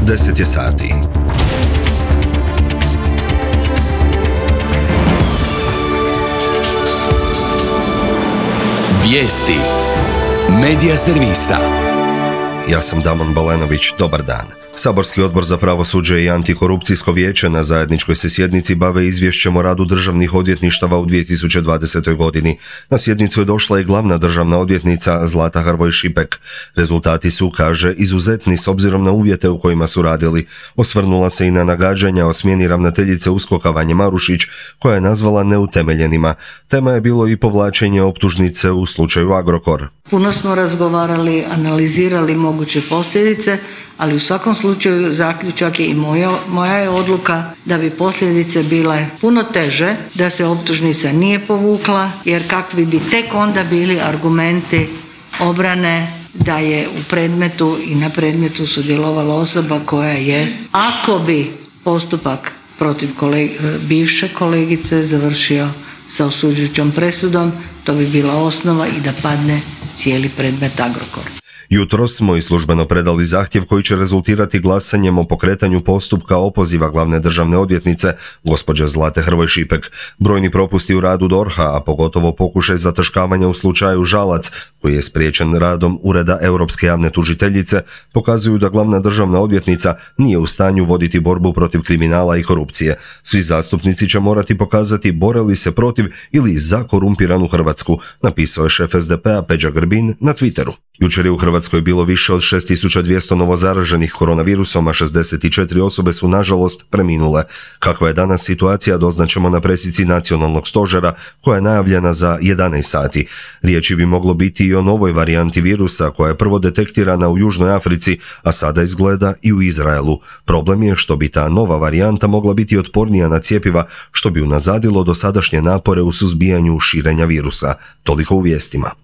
10 je sati. Vijesti Medija servisa. Ja sam Damon Balenović, dobar dan. Saborski odbor za pravosuđe i antikorupcijsko vijeće na zajedničkoj se sjednici bave izvješćem o radu državnih odvjetništava u 2020. godini. Na sjednicu je došla i glavna državna odvjetnica Zlata Hrvoj Šipek. Rezultati su, kaže, izuzetni s obzirom na uvjete u kojima su radili. Osvrnula se i na nagađanja o smjeni ravnateljice USKOK-a Vanje Marušić, koja je nazvala neutemeljenima. Tema je bilo i povlačenje optužnice u slučaju Agrokor. Puno smo razgovarali, analizirali moguće posljedice, ali u svakom slučaju zaključak je i moja je odluka da bi posljedice bile puno teže, da se optužnica nije povukla, jer kakvi bi tek onda bili argumenti obrane da je u predmetu i na predmetu sudjelovala osoba koja je, ako bi postupak protiv bivše kolegice završio sa osuđujućom presudom, to bi bila osnova i da padne cijeli predmet Agrokor. Jutros smo i službeno predali zahtjev koji će rezultirati glasanjem o pokretanju postupka opoziva glavne državne odvjetnice, gospođe Zlate Hrvoj Šipek. Brojni propusti u radu DORH-a, a pogotovo pokušaj zataškavanja u slučaju Žalac, koji je spriječen radom Ureda Europske javne tužiteljice, pokazuju da glavna državna odvjetnica nije u stanju voditi borbu protiv kriminala i korupcije. Svi zastupnici će morati pokazati bore li se protiv ili za korumpiranu Hrvatsku, napisao je šef SDP-a Peđa Grbin na Twitteru. Jučer je u Hrvatskoj bilo više od 6200 novozaraženih koronavirusom, a 64 osobe su nažalost preminule. Kakva je danas situacija doznaćemo na presici nacionalnog stožera koja je najavljena za 11 sati. Riječi bi moglo biti i o novoj varijanti virusa koja je prvo detektirana u Južnoj Africi, a sada izgleda i u Izraelu. Problem je što bi ta nova varijanta mogla biti otpornija na cjepiva, što bi unazadilo dosadašnje napore u suzbijanju širenja virusa. Toliko u vijestima.